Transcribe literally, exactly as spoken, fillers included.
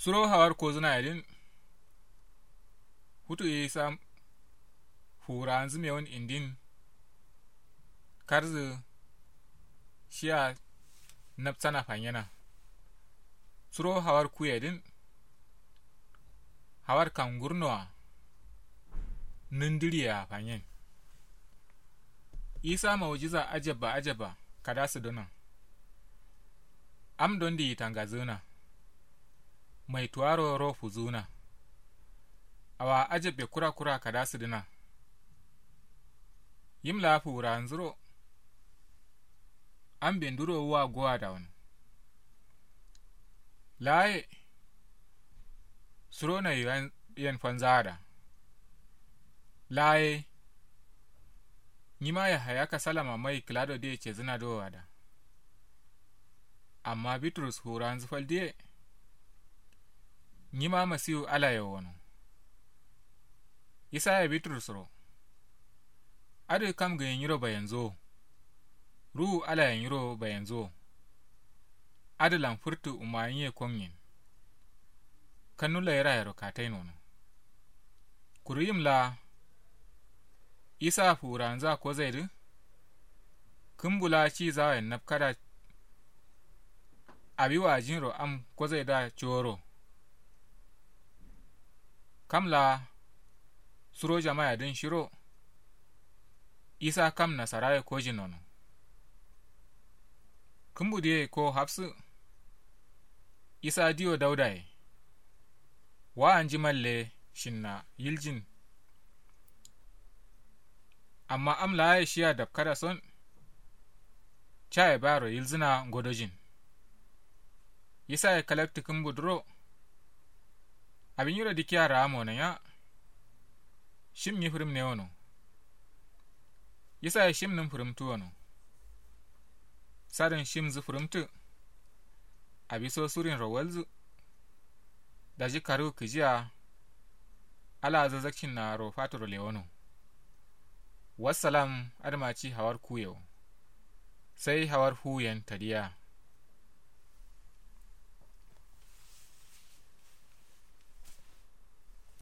Suro hawar kozǝna yedǝn. Futu ye sam fuwuranzǝ mewun indin. Karzǝ shiya. Nabsana fanyena. Suro hawar kuye dǝn. Hawar kangurnowa. Nǝndǝriye a fanyen. Isa maujiza ajabba ajabba kada sǝdǝna. Am don diyi tangazǝna. Mai tuwaro ro fuzǝna. Awa ajabbe kura kura kada sǝdǝna. Yim laa fuwuranzǝro. Ambe nduro wuwa gowa dawon. Laaye. Suro nayi yen fanzaada. Laaye. Nyima yahaya kasalama mai kǝlado diye cezǝna dowo ada. Amma bitrus fuwuranzǝ fal diye. Nyima masiwu alaye wono. Isaye bitrusro. Adǝ kam gǝnyi nyiro bayanzuwo. Ruwu alaye nyiro bayanzuwo. Adǝ lan fǝrtǝ umayiye konyen. Kannu layirayero katai nono. Kuru yim laa. Isa fuwuranzǝa kozaidǝ. Kǝmbu laa cizawayen nabkada. Awi wajinro am kozaida coro. Kam laa. Suro jamayadǝn shiro. Isa kam nasaraye kojin nono. Kǝmbu diye ko hafsǝ. Isa diyo daudaye. Wa'anji malle shinna yiljin. Amma am laaye shiya dapkada son. Caye baro yilzǝna ngodojin. Isaye kalakti kǝmbu duro. Abi nyiro dikiya ra'a mono nya. Shim nyi fǝrǝm ne wono. Isaye shim nǝm fǝrǝmtǝ wono. Sadǝn shimzǝ fǝrǝmtǝ. Abiso surinro walzǝ. Daji karu kǝjiya. Ala zazakcin naro fatoro lewono. Wassalam. Adǝma ci hawar kuyewo. Sai hawar fuwuyen tadiya.